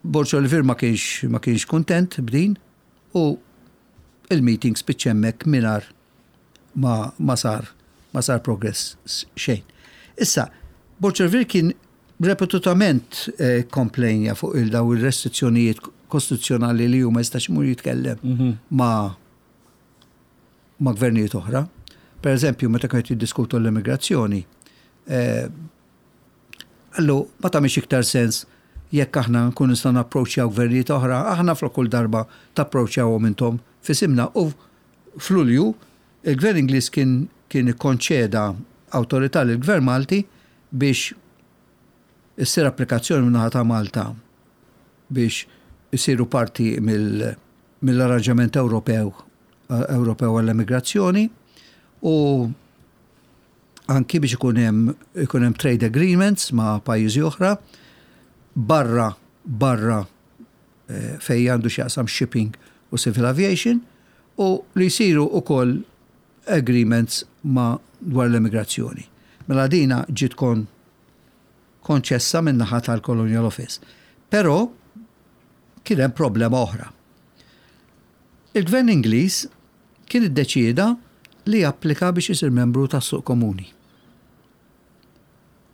Borg Olivier ma kienx ma kienx kuntent b'din u il-meeting spiċċa hemmhekk mingħajr ma, ma sar ma sar progress xejn. Issa, Borg Olivier kien Repetutament eh, komplejnja fuq il-daw il-restrizzjonijiet kostituzzjonali li huma jistax imur jitkellem mhm. ma' ma' gvernijiet oħra. Per eżempju, meta kienet jiddiskutu l-immigrazzjoni, eh, Qallu, ma tagħmilx iktar sens jekk aħna nkunu nistgħu napproċċjaw gvernijiet oħra, aħna flok kull darba tapproċċjawhom intom f'isimna. U f'Lulju, il-Gvern Ingliż kien kien ikkonċeda awtorità lill-Gvern Malti biex issir applikazzjoni min-naħa ta' Malta biex isiru parti mill-arranġament Ewropew Ewropew għall-emigrazzjoni u anki biex ikun hemm ikun hemm trade agreements ma' pajjiżi oħra barra barra eh, fejn għandu x'jaqsam shipping u civil aviation u li jsiru ukoll agreements ma' dwar l-emigrazzjoni. Mela dina ġiet kon konċessa min-naħa tal-Colonial Office. Però kien hemm problema oħra. Il-Gvern Ingliż kien iddeċieda li japplika biex isir membru tas-suq komuni.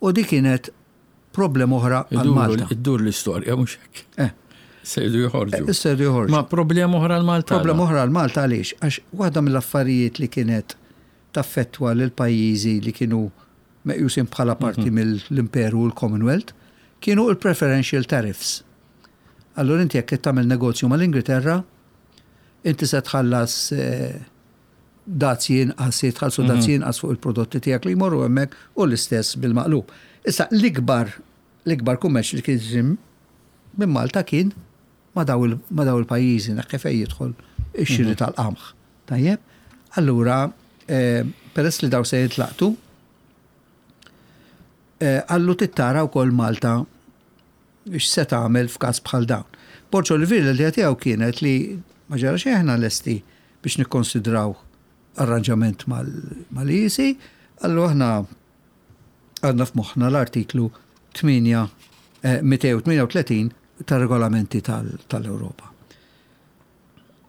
U dik kienet problema oħra għal Malta. Iddur l-istorja mhux hekk. Eh. Sejdu joħorġu. Eh, sejdu joħorġu. Ma problema oħra għal Malta. Problema oħra għal Malta għaliex? Għax waħda mill-affarijiet li kienet taffettwa lil pajjiżi li kienu meqjusin bħala parti mhm. mill-Imperu u l-Commonwealth kienu il-preferential tariffs. Allura inti jekk qed tagħmel negozju mal-Ingilterra, inti se tħallas eh, dazji inqas, se jitħallsu mhm. dazji inqas fuq il-prodotti tiegħek li jmorru hemmhekk u l-istess bil-maqlub. Issa l-ikbar l-ikbar kummerċ li kien minn Malta kien ma daw il-pajjiżi naħ fejn jidħol ix-xiri mhm. tal-qamħ. Tajjeb? Allura, eh, peress li daw se jitlaqtu, eh, għallu tittara wkoll Malta X'se tagħmel f'każ bħal dawn? Borg Olivier l-idea tiegħu kienet li ma ġara xejn aħna lesti biex nikkonsidraw arranġament mal-EEC, qallu aħna għandna f'moħħna l-artiklu 238 tar-regolamenti tal-Ewropa.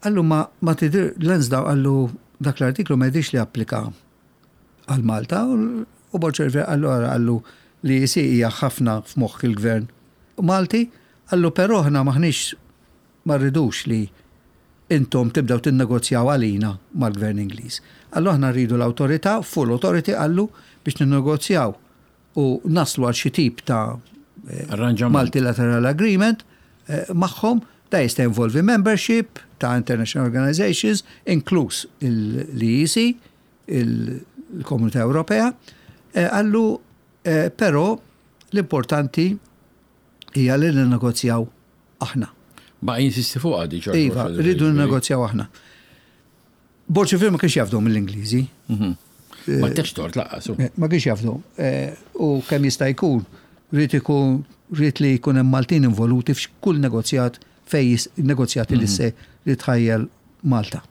Qallu ma ma tidhir Lansdowne qallu dak l-artiklu ma jidhirx li applika għal Malta u Borg Olivier qallu ara qallu li EC hija ħafna f'moħħ il-Gvern Malti, qallu però aħna m'aħniex ma rridux li intom tibdew tinnegozjaw għalina mal-Gvern Ingliż. Qallu aħna rridu l-awtorità, full authority qallu biex ninnegozjaw u naslu għal xi tip ta' Arranġament. multilateral agreement eh, magħhom da jista' involvi membership ta' international organizations, inkluż l-EEC, il-Komunità Ewropea, eh, qallu eh, però l-importanti hija li ninnegozjaw aħna. Baqa' jinsisti fuqha di ċorta. Iva, rridu ninnegozjaw aħna. Borg Olivier ma kienx jafdhom mill-Ingliżi. Mhm. Ma tex tort laqqas. Eh, ma kienx jafdhom. U kemm jista' jkun, rrid ikun rrid li jkun hemm Maltin involuti f'kull negozjat fej negozjati li mhm. se li tħajjel Malta.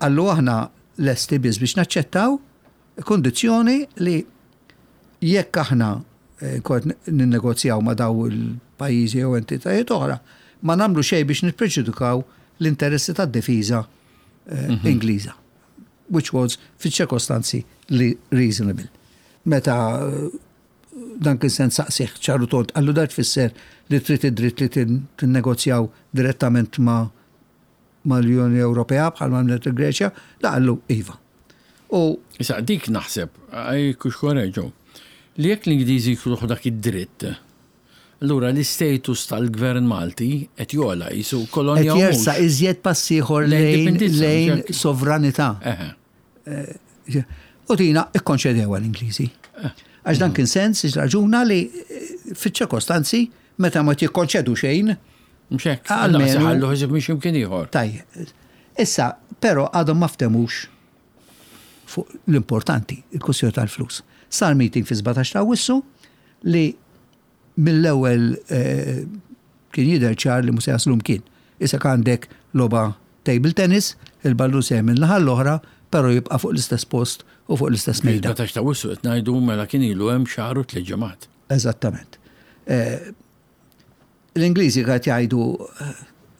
Qallu aħna lesti biss biex naċċettaw kondizzjoni li jekk aħna eh, kont ninnegozjaw ma' daw il-pajjiżi jew entitajiet oħra, ma nagħmlu xejn biex nippreġudikaw l-interessi tad-difiża eh, mhm. Ingliża. Which was fiċ-ċirkostanzi li reasonable. Meta eh, dan kien se nsaqsih ċaru tont, qallu dak tfisser li trid id-dritt li tinnegozjaw direttament ma' mal-Unjoni Ewropea bħal ma għamlet il-Greċja, da qallu iva. U Issa dik naħseb, kux korreġu, li jekk l-Ingliżi jkunu dak id-dritt, allura l-istatus tal-gvern Malti qed jogħla jisu kolonja. Qed jersa iżjed pass ieħor lejn lejn sovranità. Eh, u dina ikkonċedewa l-Ingliżi. Eh. Għax dan kien sens, raġuna li eh, fiċ-ċirkostanzi meta ma tikkonċedu xejn, Mhux hekk. Almenu. Ħallu ħsieb minn x'imkien ieħor. Tajjeb. Issa, però għadhom ma ftemux fuq l-importanti, il-kwestjoni tal-flus. Sar meeting fi 17 ta' Awwissu li mill-ewwel eh, kien jidher ċar li mhux se jaslu mkien. Issa għandek logħba table tennis, il-ballun se minn naħa l-oħra, però jibqa' fuq l-istess post u fuq l-istess mejda. 17 ta' Awwissu qed ngħidu mela kien ilu hemm xahar u tliet ġimgħat. Eżattament. Eh, L-Ingliżi qed jgħidu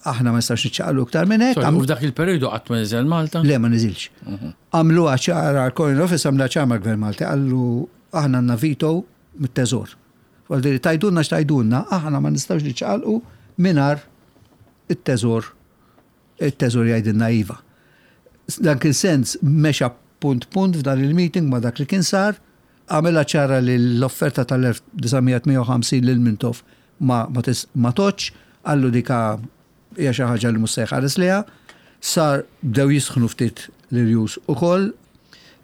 aħna ma nistax niċċaqlu iktar minn hekk. U f'dak il-perjodu qatt ma niżel Malta? Le ma niżilx. Mhm. Għamluha ċara l-Foreign Office għamluha ċara mal-Gvern Malti qallu aħna għandna veto mit-teżor. Għal tgħidulna x'tgħidulna, aħna ma nistgħux niċċaqalqu mingħajr it-teżor it-teżor jgħidilna iva. Dan kien sens mexa punt punt f'dan il-meeting ma dak li kien sar, għamilha ċara li l-offerta tal-1958 lil Mintoff ma, ma, ma toċ, qallu dika hija xi ħaġa li mhux se jħares liha, sar bdew jisħnu ftit l-irjus ukoll,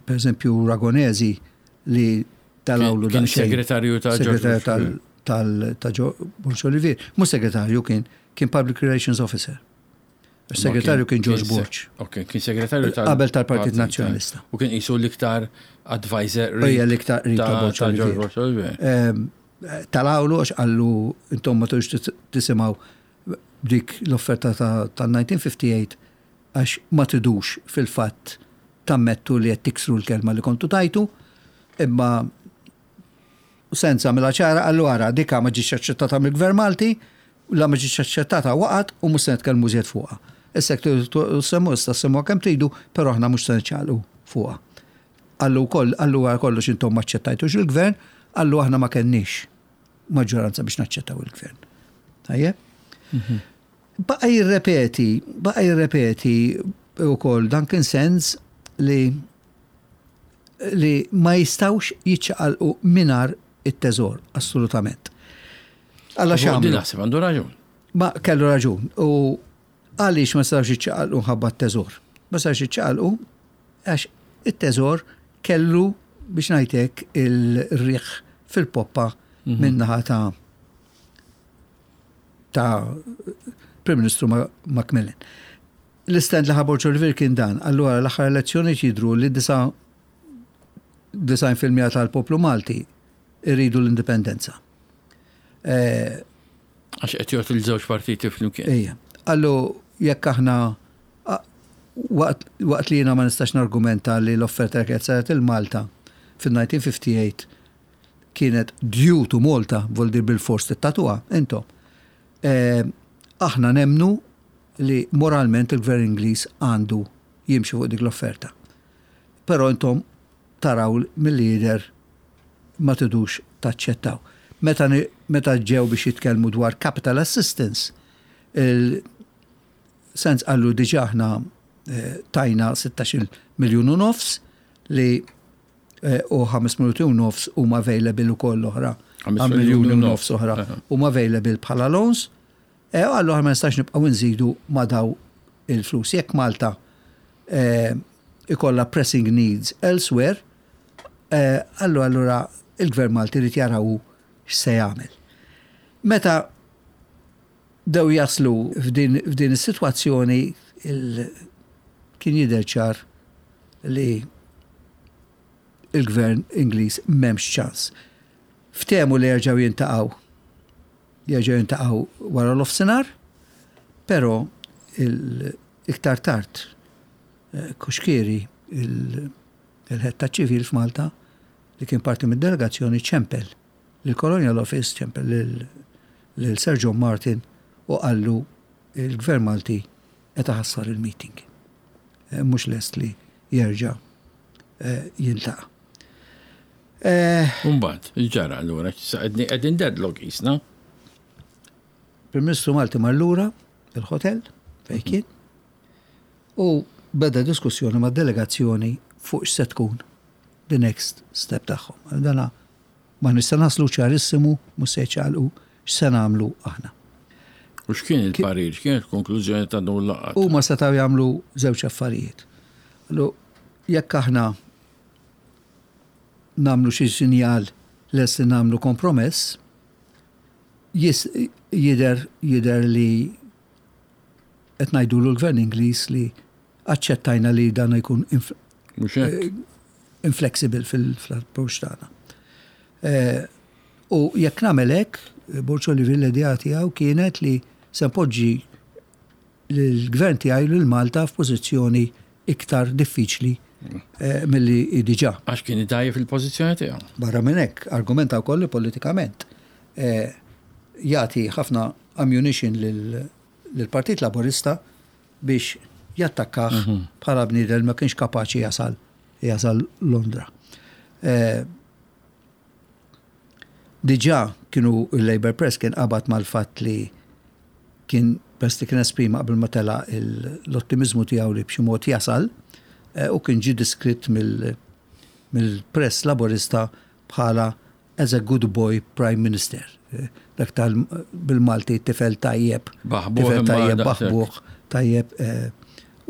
per eżempju Ragonesi li tal-awlu Kien segretarju ta' segretarju tal tal ta' Borg Olivier, mhux segretarju kien, kien Public Relations Officer. Segretarju kien George Borg. Ok, kien segretarju tal Qabel tal-Partit Nazzjonalista. U kien qisu l-iktar advisor. Ejja l-iktar qrib ta' Borg Olivier. Ehm, tal-awlu għax qallu intom ma tux tisimgħu dik l-offerta tal-1958 għax ma tridux fil-fatt tammettu li qed tiksru l-kelma li kontu tajtu, imma Sands għamilha ċara qallu ara dika ma ġietx aċċettata mill-Gvern Malti, la ma ġietx aċċettata waqgħet u mhux se nitkellmu iżjed fuqha. Issa jekk tridu ssemmu issa semmuha kemm tridu, però aħna mhux se niċċaqlqu fuqha. Qallu wkoll, qallu wara kollox intom ma aċċettajtux il-Gvern, qallu aħna ma kenniex maġġoranza biex naċċettaw il-Gvern. Tajjeb? Mhm. Baqa' jirrepeti, baqa' jirrepeti wkoll dan kien sens li li ma jistgħux jiċċaqalqu mingħajr it-teżor, assolutament. Alla x'għamlu? Naħseb għandu raġun. Ma kellu raġun. U għaliex ma setgħux jiċċaqalqu ħabba t-teżor? Ma setgħux jiċċaqalqu għax it-teżor kellu biex ngħidlek il-riħ fil-poppa mhm. min-naħa ta' ta' Prim Ministru Macmillan. L-istand li ħa Borg Olivier kien dan, allura l-aħħar elezzjonijiet jidhru li 99% tal-poplu Malti irridu l-indipendenza. Eh, Għax qed jgħod il-żewġ partiti flimkien. Ejja. Allu jekk aħna waqt li jiena ma nistax nargumenta li l-offerta li kienet saret il-Malta fil-1958 kienet due to Malta, voldir bil-fors tittatuha, intom. Eh, aħna nemnu li moralment il-Gvern Ingliż għandu jimxi fuq dik l-offerta. Però intom taraw milli jidher ma tridux taċċettaw. Meta, meta ġew biex jitkellmu dwar capital assistance, il-sens qallu diġà aħna eh, tajna 16 miljun u nofs li eh, u 5 minuti u nofs huma available ukoll oħra. 5 miljun u nofs oħra huma available bħala loans. E, allura ma nistax nibqgħu nżidu ma' daw il-flus. Jekk Malta e, ikollha pressing needs elsewhere, e, allura allura il-Gvern Malti jrid jaraw x'se jagħmel. Meta dew jaslu f'din, f'din is-sitwazzjoni kien jidher ċar li il-gvern Ingliż m'hemmx ċans. Ftehmu li jerġgħu jintaqgħu jerġgħu jintaqgħu wara l-ofsinhar, però iktar tard eh, Cuschieri il-head ta' ċivil f'Malta li kien parti mid-delegazzjoni ċempel lill-Colonial Office, ċempel lil Sir John Martin u qallu il-Gvern Malti qed iħassar il-meeting. Eh, mhux lest li jerġa' eh, jiltaqa'. Eh. Umbagħad, ġara allura, qegħdin deadlock jisna. Prim Ministru Malti mar lura il-hotel fejn kien u beda diskussjoni ma' delegazzjoni fuq x'se tkun the next step tagħhom. Dana ma nista' naslu ċarissimu mhux se jċaqalqu x'se nagħmlu aħna. U x'kien il-parir, x'kien il-konklużjoni ta' dawn l-laqgħat? Huma setgħu jagħmlu żewġ affarijiet. Jekk aħna nagħmlu xi sinjal lest li nagħmlu kompromess, jidher jidher li qed ngħidulu l-Gvern Ingliż li aċċettajna li dan jkun eh, inflexible fil-approach tagħna. Eh, u jekk nagħmel hekk, Borg Olivier l-idea tiegħu kienet li se npoġġi l-gvern tiegħi lil Malta f'pożizzjoni iktar diffiċli eh, milli diġà. Għax kien idajjef il-pożizzjoni tiegħu. Barra minn hekk, argumenta wkoll li politikament eh, jagħti ħafna ammunition lill-Partit Laburista biex jattakkah mhm. bħala bniedem ma kienx kapaċi jasal jasal Londra. Eh, Diġà kienu il-Labour Press kien qabad mal-fatt li kien peress li kien esprima qabel ma telaq l-ottimiżmu tiegħu li b'xi mod jasal eh, u kien ġie diskritt mill-press laborista bħala as a good boy prime minister. Eh, dak tal bil-Malti tifel tajjeb, tifel tajjeb, baħbuħ, tajjeb eh,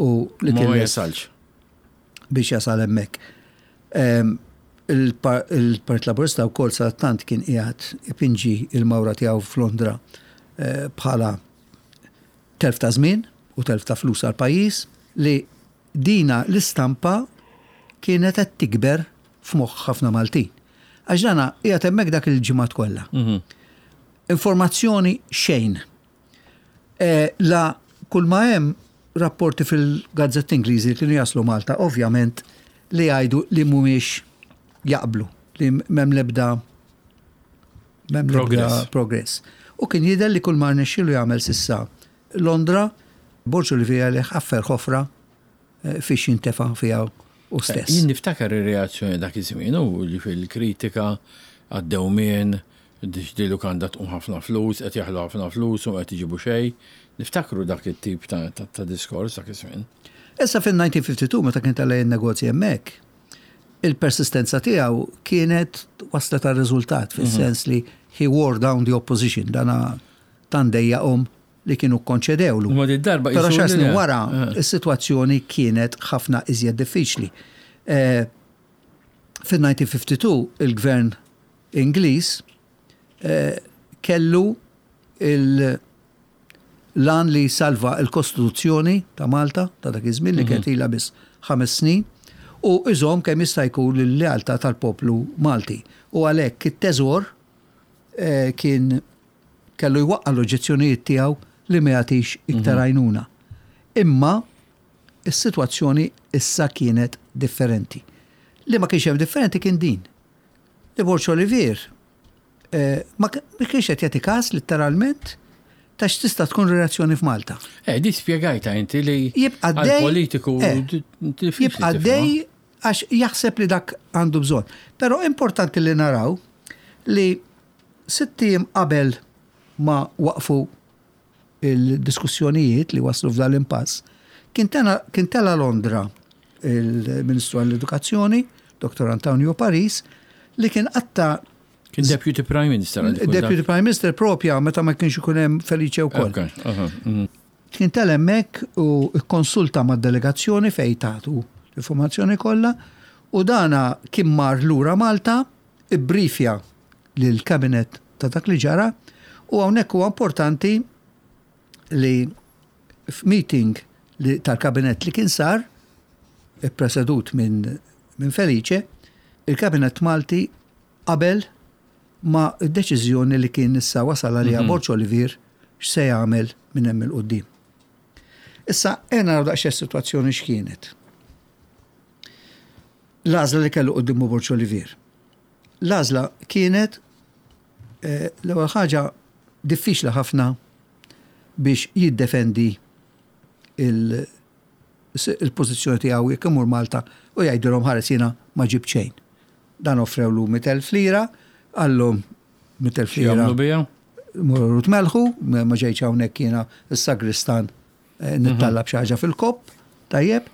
u li kien jasalx. Biex jasal hemmhekk. Ehm, il-Partit Laburista wkoll sadattant kien qiegħed ipinġi il-mawra tiegħu f'Londra eh, bħala telf ta' żmien u telf ta' flus għal pajjiż li dina l-istampa kienet qed tikber f'moħħ ħafna Maltin. Għax dana qiegħed hemmhekk dak il-ġimgħat kollha. Mhm. Informazzjoni xejn. Eh, la kull ma hemm rapporti fil-gazzetti Ingliżi li kienu jaslu Malta, ovvjament li jgħidu li mhumiex jaqblu, li m'hemm l-ebda m'hemm l-ebda progress. U kien jidher li kull ma rnexxielu jagħmel s'issa Londra, Borg Olivier li ħaffer ħofra eh, fiex jintefa' fiha u stess. Jien niftakar ir-reazzjoni dak iż-żmien u li fil-kritika għad-dewmien di lukanda tqum ħafna flus, qed jaħlu ħafna flus u qed iġibu xejn. Niftakru dak it-tip ta' diskors dak iż-żmien. Issa fil-1952 meta kien tela' jinnegozja hemmhekk, il-persistenza tiegħu kienet waslet għal riżultat fis-sens li he wore down the opposition dana tant dejjaqhom li kienu kkonċedewlu. Imma din darba Però xar snin wara eh. is-sitwazzjoni kienet ħafna iżjed diffiċli. Eh, Fil-1952 il-gvern Ingliż eh, kellu il- lan li salva il-Kostituzzjoni ta' Malta ta' dak iż-żmien li mhm. kienet ilha biss ħames snin u iżomm kemm jista' jkun l-lealtà tal-poplu Malti. U għalhekk it-teżor kien kellu jwaqqa' l-oġġezzjonijiet tiegħu li ma jagħtix iktar mhm. għajnuna. Imma is-sitwazzjoni issa kienet differenti. Li ma kienx hemm differenti kien din. Li Borg Olivier eh, ma kienx qed jagħti każ letteralment ta' x'tista' tkun reazzjoni f'Malta. Eh, di spjegajta inti li jibqa' dej politiku eh, jibqa' dej għax jaħseb li dak għandu bżonn. Però importanti li naraw li Sitt ijiem qabel ma waqfu il-diskussjonijiet li waslu f'dan l-impass, kien tela' Londra il-Ministru għall-Edukazzjoni, Dr. Antonio Paris, li kien qatta' Kien Deputy Prime Minister. Deputy Prime Minister propja meta ma kienx ikun hemm Felice wkoll. Mhm. Kien tela' hemmhekk u kkonsulta mad-delegazzjoni fejn tagħtu l-informazzjoni kollha u dana kien mar lura Malta ibbriefja lill-Cabinet ta' dak li ġara u hawnhekk huwa importanti li f'meeting li tal-Kabinett li kien sar, ippresedut minn min Felice, il-Kabinett Malti qabel ma' d-deċiżjoni li kien issa wasal għaliha mhm. Borg Olivier x'se jagħmel minn hemm il-qudiem. Issa ejja naraw daqsxejn is-sitwazzjoni x'kienet. L-għażla li kellu quddiemu Borg Olivier. L-għażla kienet eh, l-ewwel ħaġa diffiċli ħafna biex jiddefendi il-pożizzjoni tiegħu jekk imur Malta u jgħidilhom ħares jiena ma ġibt xejn. Dan offrewlu 100,000 lira, qallhom 100,000 lira. Morru tmelħu, ma ġejtx hawnhekk jiena s-sagristan eh, nittallab xi ħaġa fil-kopp, tajjeb.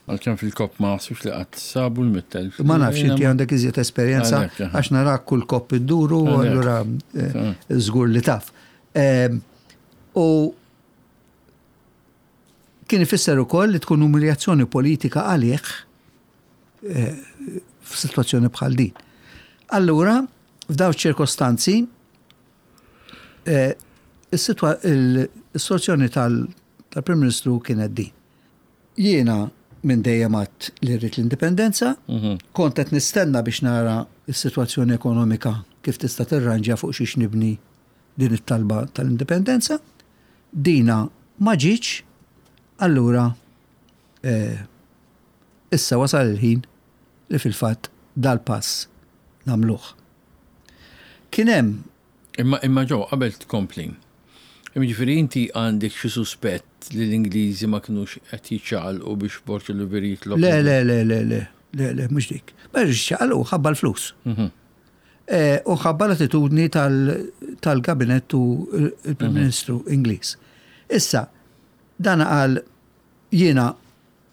Għalkemm fil-kopp ma naħsibx li qatt sabu l-mittel. Ma nafx inti għandek iżjed esperjenza għax narak kull kopp idduru allura eh, żgur li taf. Ehm, u kien ifisser ukoll li tkun umiljazzjoni politika għalih eh, f'sitwazzjoni bħal din. Allura, f'daw ċirkostanzi, eh, is-soluzzjoni tal-Prim Ministru kienet din. Jiena minn dejjem għadt li rrid l-indipendenza, mhm. kont qed nistenna biex nara s-sitwazzjoni ekonomika kif tista' tirranġa fuq xiex nibni din it-talba tal-indipendenza. Dina ma ġietx, allura eh, issa wasal il-ħin li fil-fatt dal-pass nagħmluh. Kien hemm Imma imma Joe, qabel tkompli. Jiġifieri inti għandek xi suspett li l-Ingliżi ma kinux qed jiċċaqalqu biex Borg Olivier jitlob. Le, le, le, le, le, le, le, mhux dik. Ma jiċċaqalqu ħabba l-flus. Mhm. U ħabba l-attitudni tal-gabinett u l-Prim Ministru Ingliż. Issa, dan qal jiena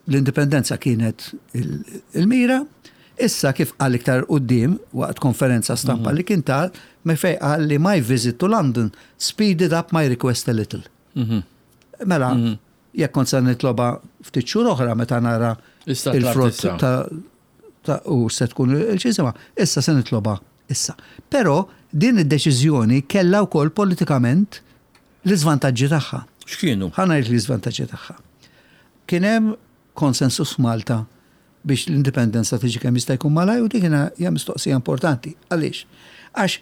l-indipendenza kienet il-mira, issa kif qal iktar quddiem waqt konferenza stampa li kien ta me fej qal li "My visit to London speeded up my request a little." Mela, jekk kont se nitloba ftit xhur oħra meta nara il-frott ta' u se tkun il-ċisima, issa se nitloba issa. Però din id-deċiżjoni kellha wkoll politikament l-iżvantaġġi tagħha. X'kienu? Ħa ngħid l-iżvantaġġi tagħha. Kien hemm konsensus f'Malta biex l-indipendenza tiġi kemm jista' jkun malaj u dik hija mistoqsija importanti. Għaliex? Għax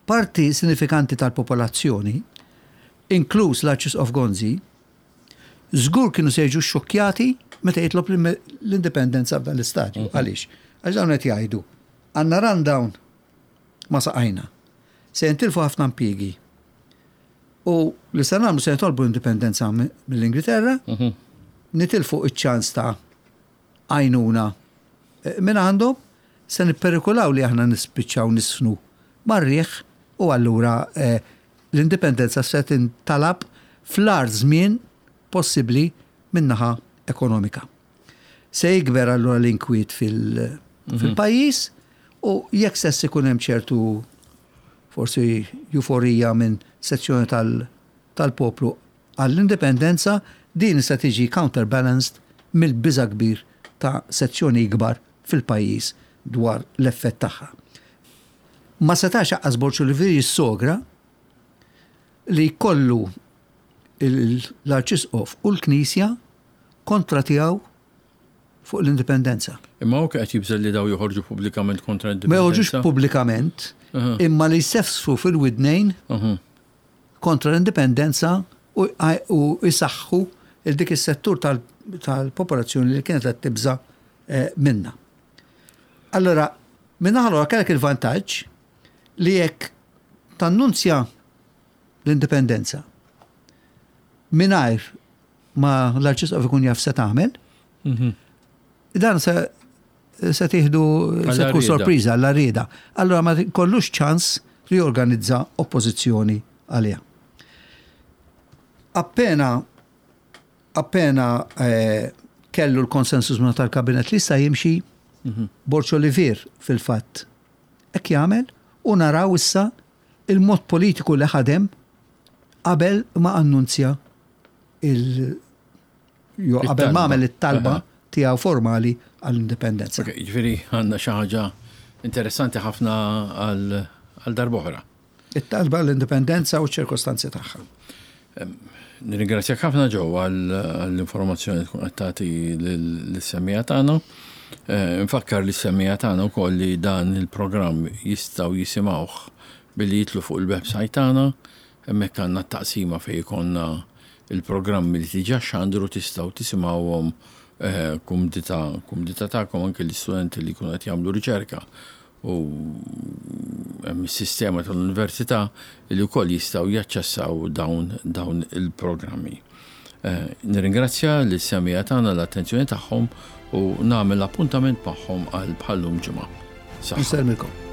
parti sinifikanti tal-popolazzjoni, inkluż l-Arċisqof Gonzi, żgur kienu se jiġu xokjati meta jitlob l-indipendenza f'dan l-istadju. Għaliex? Għax dawn qed jgħidu għandna rundown ma saqajna. Se jintilfu ħafna impjiegi. U li se nagħmlu se jitolbu l-indipendenza mill-Ingilterra, nitilfu iċ-ċans ta' għajnuna minn għandhom, se nipperikolaw li aħna nispiċċaw nisfnu mar-riħ u allura l-indipendenza se tintalab fl-agħar żmien possibbli min-naħa ekonomika. Se jikber allura l-inkwiet fil-pajjiż u jekk stess ikun hemm ċertu forsi euforija minn sezzjoni tal-poplu għall-indipendenza, din se tiġi counterbalanced mill-biża' kbir ta' sezzjoni ikbar fil-pajjiż dwar l-effett tagħha. Ma setax aqqas Borg Olivier jissogra li jkollu l-Arċisqof u l-Knisja kontra tiegħu fuq l-indipendenza. Imma hu qed jibżel li daw joħorġu pubblikament kontra l-indipendenza. Ma joħorġux pubblikament, imma li jsefsfu fil-widnejn kontra l-indipendenza u jsaħħu il dik is-settur tal-popolazzjoni li kienet qed tibża minna. Allora, minna allora kellek il-vantaġġ li jekk tannunzja l-indipendenza mingħajr ma l-Arċisqof ikun jaf se tagħmel, dan se tieħdu se tkun sorpriża għall rieda. Allora ma kollux ċans li jorganizza oppożizzjoni għaliha. Appena kellu l-konsensus minna tal-kabinet li issa jimxi, Borg Olivier fil-fatt hekk jagħmel u naraw issa il-mod politiku li ħadem qabel ma annunzja il jo qabel ma għamel it-talba tiegħu formali għall-indipendenza. Ok, ġifieri għandna xi ħaġa interessanti ħafna għal darb'oħra. It-talba l-indipendenza u ċ-ċirkostanzi tagħha. Nirringrazzjak ħafna Joe għall-informazzjoni tkun qed tagħti lis-semmiegħa tagħna. Nfakkar lis-semmiegħa tagħna wkoll li dan il-programm jistgħu jisimgħuh billi jitlu fuq il-website tagħna. Hemmhekk għandna t-taqsima fejn ikollna il-programmi li diġà xandru, tistgħu tisimgħuhom kumdità tagħkom, anke l-istudenti li jkunu qed jagħmlu riċerka u hemm is-sistema tal-università li wkoll jistgħu jaċċessaw dawn il-programmi. Nirringrazzja lis-semmiegħa tagħna l-attenzjoni tagħhom u nagħmel appuntament magħhom għal bħallum ġimgħa. Saħħa.